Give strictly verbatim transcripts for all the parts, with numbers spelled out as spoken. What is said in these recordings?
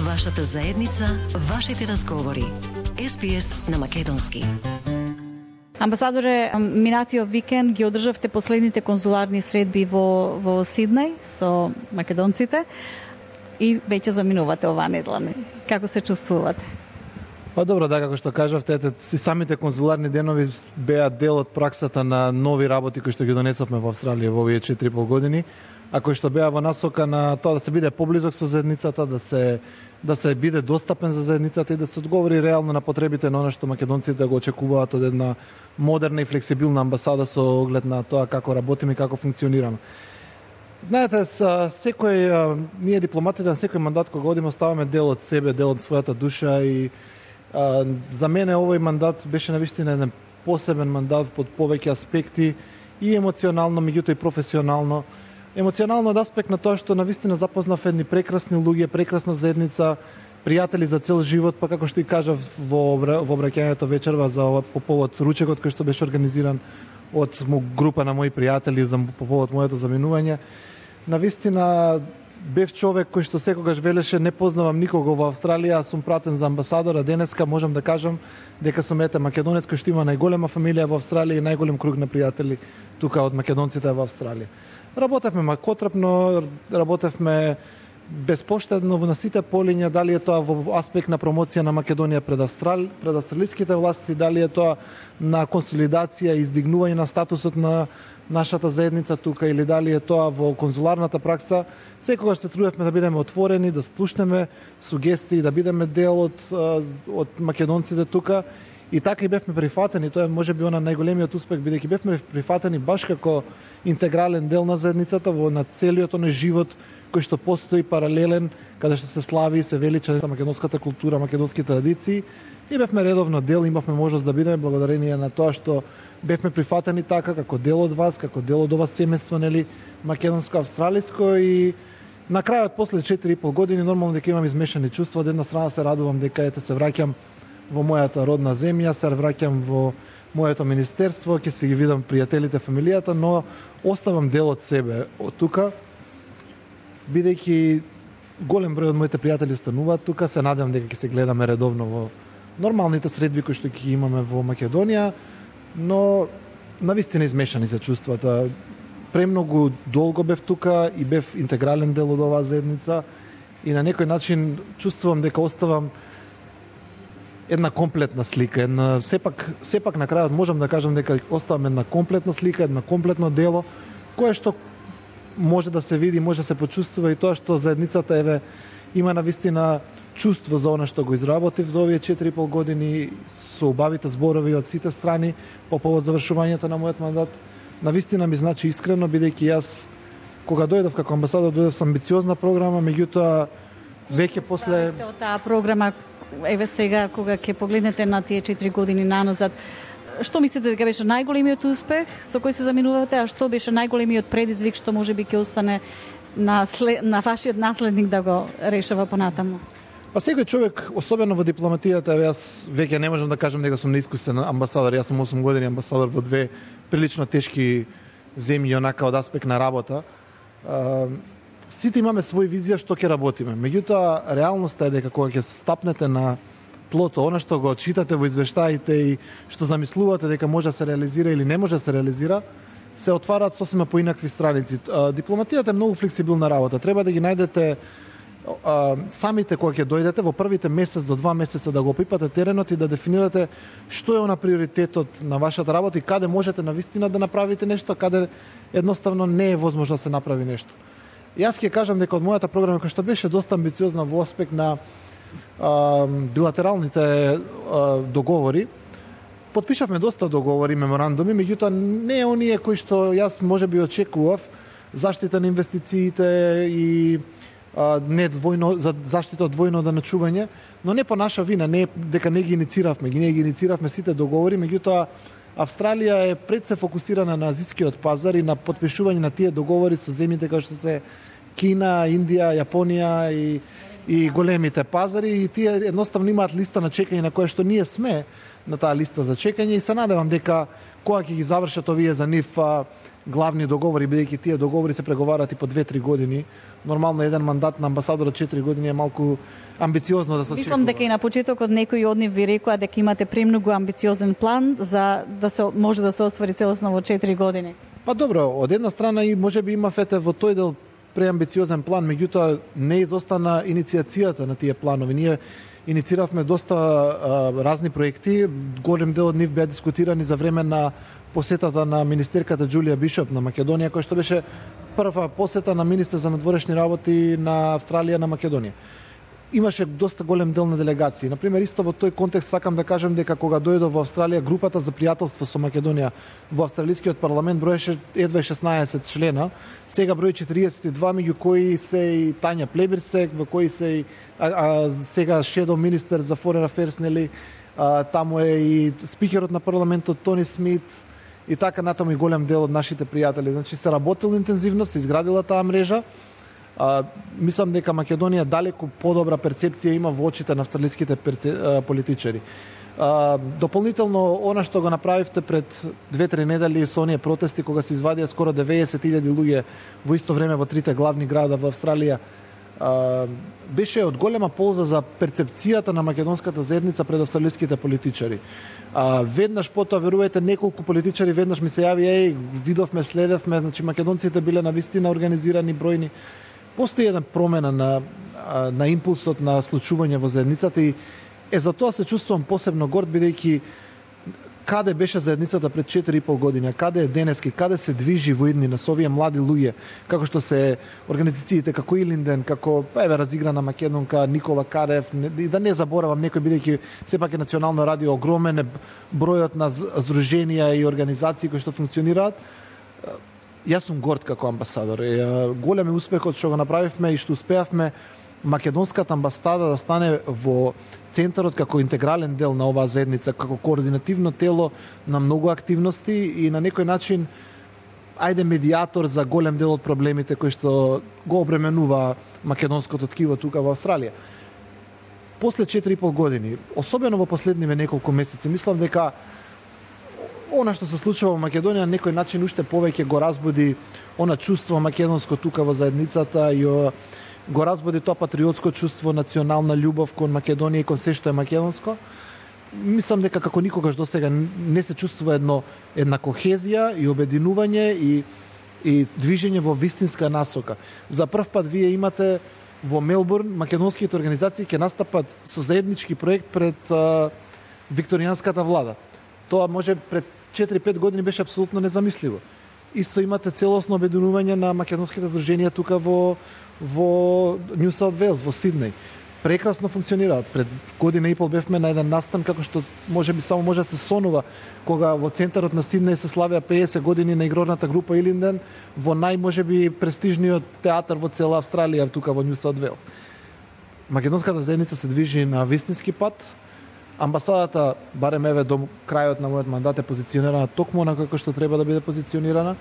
вашата заедница, вашите разговори. Ес Би Ес на македонски. Амбасадоре, минатиот викенд ги одржавте последните конзуларни средби во, во Сиднеј со македонците и веќе заминувате оваа недела. Како се чувствувате? Па добро, да, како што кажавте, ете, си самите конзуларни денови беа дел од праксата на нови работи кои што ги донесовме во Австралија во овие четири и пол години, а кои што беа во насока на тоа да се биде поблизок со заедницата, да се да се биде достапен за заедницата и да се одговори реално на потребите на она што македонците го очекуваат од една модерна и флексибилна амбасада со оглед на тоа како работиме и како функционираме. Знаете, секој, ние дипломатите на секој мандат кога одиме оставаме дел од себе, дел од својата душа и а, за мене овој мандат беше навистина еден посебен мандат под повеќе аспекти и емоционално, меѓутоа и професионално. Емоционално од аспект на тоа што навистина запознав едни прекрасни луѓе, прекрасна заедница, пријатели за цел живот, па како што и кажав во во обраќањето вечерва за по повод ручекот кој што беше организиран од група на мои пријатели за по повод моето заминување. Навистина бев човек кој што секогаш велеше не познавам никого во Австралија, сум пратен за амбасадор, а денеска можам да кажам дека сум ете македонец кој што има најголема фамилија во Австралија и најголем круг на пријатели тука од македонците во Австралија. Работевме макотрапно, работевме безпоштедно на сите полиња, дали е тоа во аспект на промоција на Македонија пред Австрал, пред австралиските власти, дали е тоа на консолидација и издигнување на статусот на нашата заедница тука или дали е тоа во конзуларната пракса, секогаш се трудевме да бидеме отворени, да слушнеме сугестии, да бидеме дел од од македонците тука. И така и бевме прифатени, тоа е можеби она најголемиот успех, бидејќи бевме прифатени баш како интегрален дел на заедницата во на целиот оној живот кој што постои паралелен, каде што се слави и се велича македонската култура, македонски традиции. И бевме редовно дел, имавме можност да бидеме благодарение на тоа што бевме прифатени така како дел од вас, како дел од ова семејство, нели, македонско-австралиско и на крајот после четири и пол години нормално дека имам измешани чувства. Од една страна се радувам дека ете се враќам во мојата родна земја, се враќам во моето министерство, ќе си ги видам пријателите, фамилијата, но оставам дел од себе од тука, бидејќи голем број од моите пријатели остануваат тука, се надевам дека ќе се гледаме редовно во нормалните средби кои што ќе имаме во Македонија, но навистина измешани се чувствата. Премногу долго бев тука и бев интегрален дел од оваа заедница и на некој начин чувствувам дека оставам една комплетна слика, една сепак сепак на крајот можам да кажам дека оставам една комплетна слика, една комплетно дело кое што може да се види, може да се почувствува и тоа што заедницата еве има навистина чувство за она што го изработив за овие четири и пол години со убавите зборови од сите страни по повод завршувањето на мојот мандат. Навистина ми значи искрено, бидејќи јас кога дојдов како амбасадор дојдов со амбициозна програма, меѓутоа веќе после од таа програма еве сега кога ќе погледнете на тие четири години наназад, што мислите дека беше најголемиот успех со кој се заминувате, а што беше најголемиот предизвик што можеби ќе остане на след, на вашиот наследник да го решава понатаму? Па секој човек, особено во дипломатијата, јас веќе не можам да кажам дека сум неискусен амбасадор, јас сум осум години амбасадор во две прилично тешки земји онака од аспект на работа. Сите имаме своја визија што ќе работиме. Меѓутоа, реалноста е дека кога ќе стапнете на тлото, она што го читате во извештаите и што замислувате дека може да се реализира или не може да се реализира, се отвараат сосема поинакви страници. Дипломатијата е многу флексибилна работа. Треба да ги најдете самите кога ќе дојдете во првите месец до два месеца да го опипате теренот и да дефинирате што е она приоритетот на вашата работа и каде можете навистина да направите нешто, каде едноставно не е возможно да се направи нешто. Јас ќе кажам дека од мојата програма, која што беше доста амбициозна во аспект на а, билатералните а, договори, потпишавме доста договори, меморандуми, меѓутоа не е оние кои што јас можеби очекував, заштита на инвестициите и а, не двојно за заштита од двојно доначување, но не по наша вина, не дека не ги иницииравме, ги не ги иницииравме сите договори, меѓутоа Австралија е пред се фокусирана на азискиот пазар и на потпишување на тие договори со земјите како што се Кина, Индија, Јапонија и и големите пазари и тие едноставно имаат листа на чекање на која што ние сме на таа листа за чекање и се надевам дека кога ќе ги завршат овие за нив главни договори, бидејќи тие договори се преговарат и по две-три години. Нормално еден мандат на амбасадор од четири години е малку амбициозно да се очекува. Мислам дека и на почетокот некои од нив ви рекоа дека имате премногу амбициозен план за да се може да се оствари целосно во четири години. Па добро, од една страна и можеби има фете во тој дел преамбициозен план, меѓутоа не изостана инициацијата на тие планови. Ние иницииравме доста а, разни проекти, голем дел од нив беа дискутирани за време на посетата на министерката Џулија Бишоп на Македонија, која што беше прва посета на министер за надворешни работи на Австралија на Македонија. Имаше доста голем дел на делегации. Например, исто во тој контекст сакам да кажем дека кога дојдов во Австралија, групата за пријателство со Македонија во австралискиот парламент броеше едва шеснаесет члена, сега брои четириесет и два, меѓу кои се и Тања Плебирсек, во кои се и а, а, сега шедо министер за Foreign Affairs, нели, а, таму е и спикерот на парламентот Тони Смит и така натаму и голем дел од нашите пријатели. Значи се работило интензивно, се изградила таа мрежа. А, мислам дека Македонија далеку подобра перцепција има во очите на австралиските перце... а, политичари. А, дополнително, она што го направивте пред две-три недели со оние протести, кога се извадија скоро деветдесет илјади луѓе во исто време во трите главни града во Австралија, а, беше од голема полза за перцепцијата на македонската заедница пред австралиските политичари. А, веднаш потоа, верувајте, неколку политичари веднаш ми се јави, еј, видовме, следевме, значи македонците биле навистина организирани, бројни. Постои една промена на, на импулсот на случување во заедницата и е за тоа се чувствувам посебно горд, бидејќи каде беше заедницата пред четири и пол години, каде е денески, каде се движи во иднина со овие млади луѓе, како што се организациите како Илинден, како еве разиграна македонка Никола Карев, и да не заборавам некој, бидејќи сепак е национално радио, огромен е бројот на здруженија и организации кои што функционираат. Јас сум горд како амбасадор. Голем е успехот што го направивме и што успеавме македонската амбасада да стане во центарот како интегрален дел на оваа заедница, како координативно тело на многу активности и на некој начин ајде медиатор за голем дел од проблемите кои што го обременува македонското ткиво тука во Австралија. После четири и пол години, особено во последниве неколку месеци, мислам дека она што се случува во Македонија на некој начин уште повеќе го разбуди она чувство македонско тука во заедницата и го разбуди тоа патриотско чувство, национална љубов кон Македонија и кон се што е македонско. Мислам дека како никогаш досега не се чувствува едно една кохезија и обединување и и движење во вистинска насока. За прв пат вие имате во Мелбурн македонските организации ќе настапат со заеднички проект пред а, викторијанската влада. Тоа може пред четири-пет години беше апсолутно незамисливо. Исто имате целосно обединување на македонските здруженија тука во во Нью Саут Вејлс, во Сиднеј. Прекрасно функционираат. Пред година и пол бевме на еден настан како што можеби само може да се сонува кога во центарот на Сиднеј се славеа пеесет години на игрорната група Илинден во нај можеби престижниот театар во цела Австралија тука во Нью Саут Вејлс. Македонската заедница се движи на вистински пат. Амбасадата, барем еве до крајот на мојот мандат, е позиционирана токму на како што треба да биде позиционирана.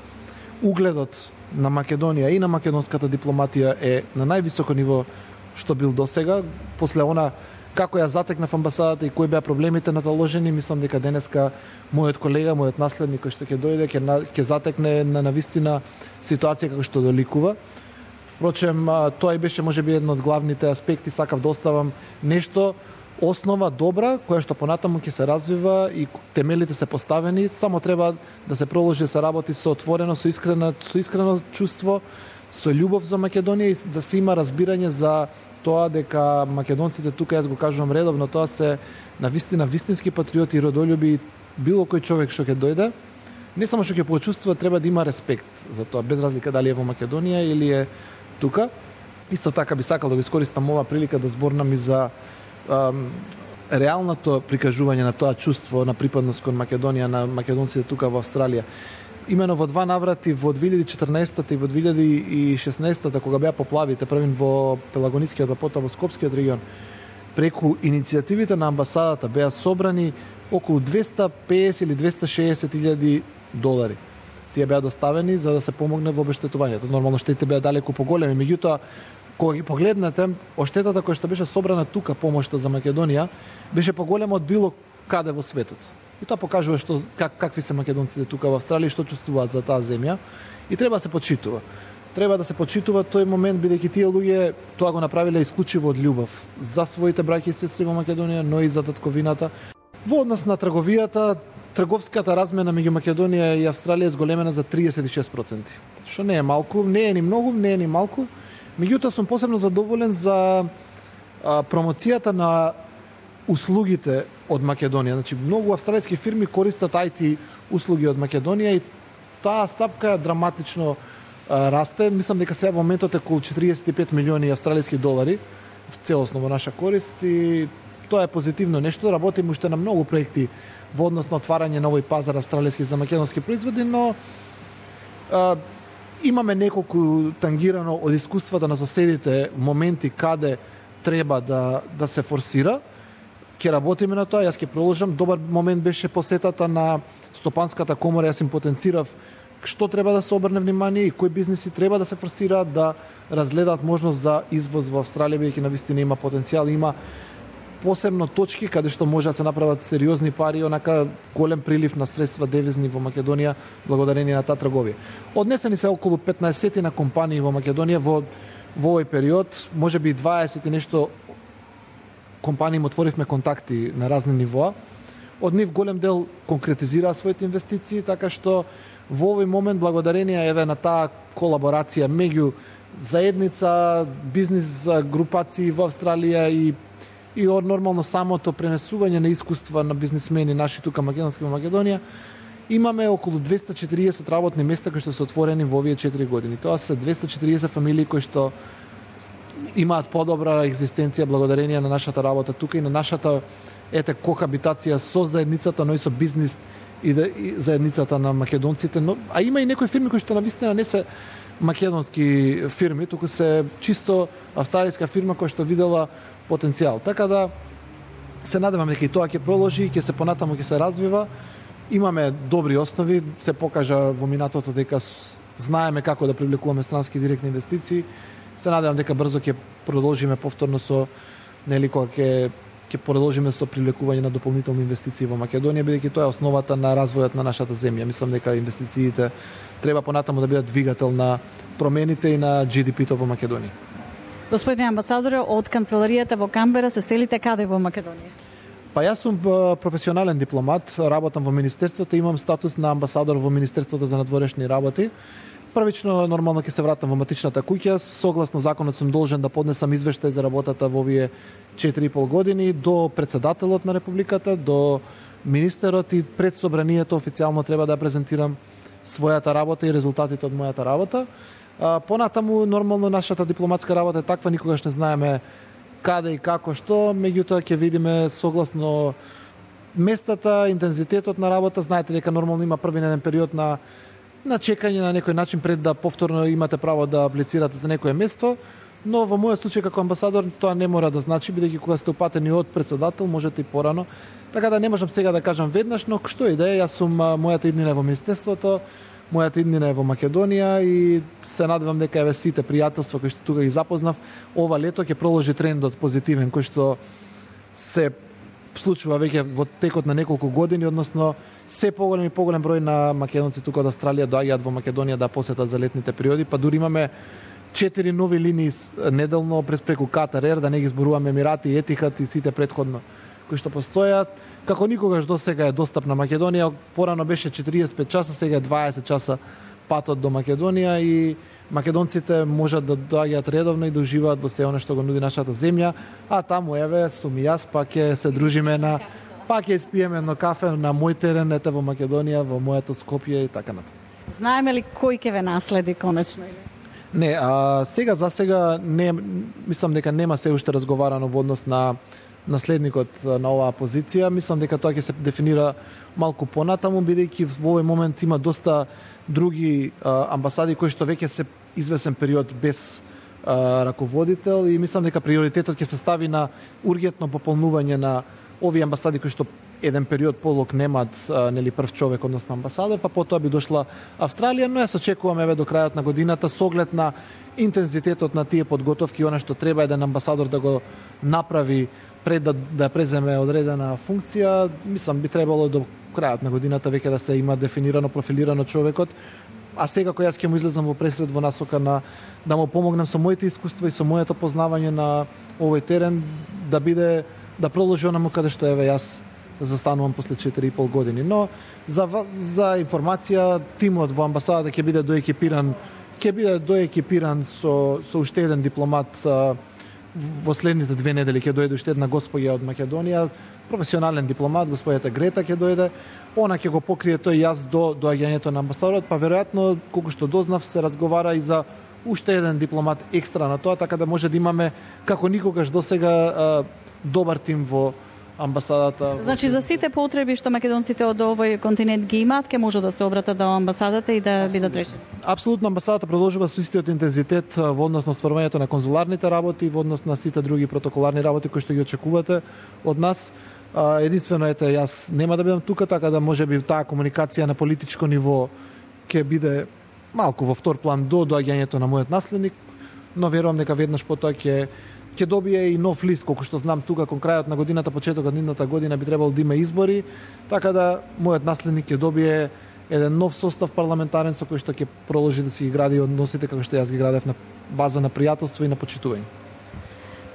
Угледот на Македонија и на македонската дипломатија е на највисоко ниво што бил досега. После она како ја затекнав амбасадата и кои беа проблемите наталожени, мислам дека денеска мојот колега, мојот наследник кој што ќе дојде, ќе ќе затекне на навистина ситуација како што доликува. Впрочем, тоа и беше можеби едно од главните аспекти, сакав да оставам нешто основа добра, која што понатаму ќе се развива и темелите се поставени, само треба да се продолжи да се работи со отворено, со искрено, со искрено чувство, со љубов за Македонија и да се има разбирање за тоа дека македонците тука, јас го кажувам редовно, тоа се навистина вистински патриоти и родолюби, било кој човек што ќе дојде, не само што ќе почувствува, треба да има респект за тоа, без разлика дали е во Македонија или е тука. Исто така би сакал да го искористам ова прилика да зборнам и за реалното прикажување на тоа чувство на припадност кон Македонија, на македонците тука во Австралија. Имено во два наврати, во две илјади и четрнаесетта и во две илјади и шеснаесетта, кога беа поплавите, првин во Пелагонискиот, па потоа во Скопскиот регион, преку иницијативите на амбасадата беа собрани околу двесте песет или двесте шеесет илјади долари. Тие беа доставени за да се помогне во обештетувањето. Нормално штетите беа далеку поголеми, меѓутоа кога ги погледнете, оштетата која што беше собрана тука, помошта за Македонија, беше поголема од било каде во светот. И тоа покажува што как, какви се македонците тука во Австралија и што чувствуваат за таа земја. И треба да се почитува. Треба да се почитува тој момент, бидејќи тие луѓе тоа го направиле исклучиво од љубов за своите браќи и сестри во Македонија, но и за татковината. Во однос на трговијата, трговската размена меѓу Македонија и Австралија е зголемена за триесет и шест проценти. Што не е малку, не е ни многу, не е ни малку. Меѓутоа сум посебно задоволен за а, промоцијата на услугите од Македонија. Значи, многу австралијски фирми користат ај ти услуги од Македонија и таа стапка драматично а, расте. Мислам дека сега во моментот е околу четириесет и пет милиони австралијски долари целосно во наша корист и тоа е позитивно нешто. Работиме уште на многу проекти во однос на отварање на овој пазар австралијски за македонски производи, но а, имаме неколку тангирано од искуствата на соседите моменти каде треба да, да се форсира. Ќе работиме на тоа, јас ќе продолжам. Добар момент беше посетата на Стопанската комора, јас им потенцирав што треба да се обрне внимание и кои бизниси треба да се форсираат да разгледаат можност за извоз во Австралија, бидејќи навистина има потенцијал, има посебно точки каде што може да се направат сериозни пари, онака голем прилив на средства девизни во Македонија благодарение на таа трговија. Однесени се околу петнаесет на компании во Македонија во во овој период, можеби дваесет и нешто компании им отворивме контакти на разни нивоа. Од нив голем дел конкретизираа своите инвестиции, така што во овој момент благодарение еве на таа колаборација меѓу заедница, бизнис групации во Австралија и и од нормално самото пренесување на искуства на бизнисмени наши тука македонски во Македонија, имаме околу двесте и четириесет работни места кои што се отворени во овие четири години. Тоа се двесте и четириесет фамилии кои што имаат подобра екзистенција благодарение на нашата работа тука и на нашата ете кохабитација со заедницата, но и со бизнис и, да, и заедницата на македонците, но а има и некои фирми кои што навистина не се македонски фирми, туку се чисто австралијска фирма која што видела потенцијал. Така да се надевам дека и тоа ќе продолжи и ќе се понатаму ќе се развива. Имаме добри основи, се покажа во минатото дека знаеме како да привлекуваме странски директни инвестиции. Се надевам дека брзо ќе продолжиме повторно со нели кога ќе ќе продолжиме со привлекување на дополнителни инвестиции во Македонија, бидејќи тоа е основата на развојот на нашата земја. Мислам дека инвестициите треба понатаму да бидат двигател на промените и на Джи Ди Пи-то во Македонија. Господине амбасадоре, од канцеларијата во Камбера се селите каде во Македонија? Па јас сум професионален дипломат, работам во министерството, имам статус на амбасадор во Министерството за надворешни работи. Првично нормално ќе се вратам во матичната куќа, согласно законот сум должен да поднесам извештај за работата во овие четири и пол години до председателот на републиката, до министерот и пред собранието официјално треба да презентирам својата работа и резултатите од мојата работа. А, понатаму нормално нашата дипломатска работа е таква, никогаш не знаеме каде и како што, меѓутоа ќе видиме согласно местата, интензитетот на работа. Знаете дека нормално има први еден период на на чекање на некој начин пред да повторно имате право да аплицирате за некое место, но во мојот случај како амбасадор тоа не мора да значи, бидејќи кога сте упатени од председател можете и порано. Така да не можам сега да кажам веднаш, но што и да е, јас сум мојата иднина во министерството, мојата иднина е во Македонија и се надевам дека еве сите пријателства кои што тука ги запознав, ова лето ќе продолжи трендот позитивен кој што се случува веќе во текот на неколку години, односно се поголем и поголем број на македонци тука од Австралија доаѓаат во Македонија да посетат за летните периоди, па дури имаме четири нови линии неделно през преку Катар Ер, да не ги зборуваме Емирати, Етихад и сите претходно кои што постојат. Како никогаш досега е достапна Македонија, порано беше четириесет и пет часа, сега е дваесет часа патот до Македонија и македонците можат да доаѓаат редовно и да уживаат во се она што го нуди нашата земја, а таму еве сум и јас, па ќе се дружиме на па ќе испиеме едно кафе на мој терен ете во Македонија, во моето Скопје и така натаму. Знаеме ли кој ќе ве наследи конечно или? Не, а сега за сега не мислам дека нема се уште разговарано во однос на наследникот на оваа позиција. Мислам дека тоа ќе се дефинира малку понатаму, бидејќи во овој момент има доста други а, амбасади кои што веќе се извесен период без а, раководител и мислам дека приоритетот ќе се стави на ургентно пополнување на овие амбасади кои што еден период полок немаат а, нели прв човек, односно амбасадор, па потоа би дошла Австралија, но јас очекувам еве до крајот на годината со оглед на интензитетот на тие подготовки, она што треба еден амбасадор да го направи пред да, да преземе одредена функција, мислам би требало до крајот на годината веќе да се има дефинирано, профилирано човекот, а секако јас ќе му излезам во пресред во насока на да му помогнам со моите искуства и со моето познавање на овој терен да биде да продолжи онаму каде што еве јас застанувам после четири и пол години. Но за за информација, тимот во амбасадата ќе биде доекипиран, ќе биде доекипиран со со уште еден дипломат. Во следните две недели ќе дојде уште една госпоја од Македонија, професионален дипломат, господјата Грета ќе дојде. Она ќе го покрие тој јаз до доаѓањето на амбасадорот, па веројатно колку што дознав се разговара и за уште еден дипломат екстра на тоа, така да може да имаме како никогаш досега добар тим во амбасадата. Значи за сите потреби што македонците од овој континент ги имаат, ќе може да се обратат до амбасадата и да бидат решени. Апсолутно амбасадата продолжува со истиот интензитет во однос на стварувањето на конзуларните работи, во однос на сите други протоколарни работи кои што ги очекувате од нас. Единствено ете јас нема да бидам тука, така да можеби таа комуникација на политичко ниво ќе биде малку во втор план до доаѓањето на мојот наследник, но верувам дека веднаш потоа ќе ќе добие и нов лист, колку што знам тука кон крајот на годината, почетокот на идната година би требало да има избори, така да мојот наследник ќе добие еден нов состав парламентарен со кој што ќе продолжи да си ги гради односите како што јас ги градев на база на пријателство и на почитување.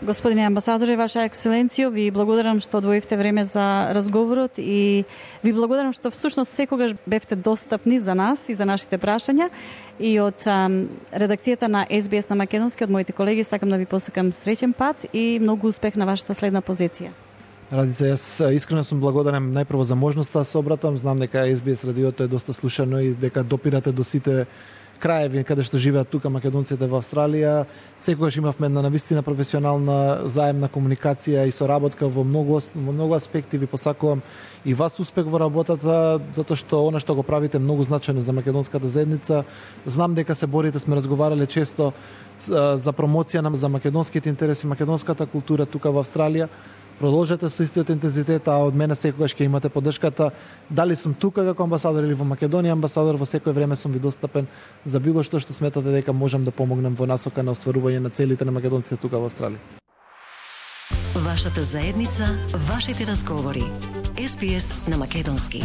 Господине амбасадоре, Ваша екселенцијо, ви благодарам што одвоивте време за разговорот и ви благодарам што всушност секогаш бевте достапни за нас и за нашите прашања. И од ам, редакцијата на Ес Би Ес на македонски, од моите колеги, сакам да ви посакам среќен пат и многу успех на вашата следна позиција. Радица, јас искрено сум благодарен најпрво за можноста да се обратам. Знам дека Ес Би Ес радиото е доста слушано и дека допирате до сите краеви каде што живеат тука македонците во Австралија. Секогаш имавме една навистина професионална заемна комуникација и соработка во многу во многу аспекти. Ви посакувам и вас успех во работата, затоа што она што го правите многу значено за македонската заедница. Знам дека се борите, сме разговарале често за промоција на за македонските интереси, македонската култура тука во Австралија. Продолжете со истиот интензитет, а од мене секогаш ќе имате поддршката. Дали сум тука како амбасадор или во Македонија амбасадор, во секој време сум ви достапен за било што што сметате дека можам да помогнем во насока на остварување на целите на македонците тука во Австралија. Вашата заедница, вашите разговори. Ес Би Ес на македонски.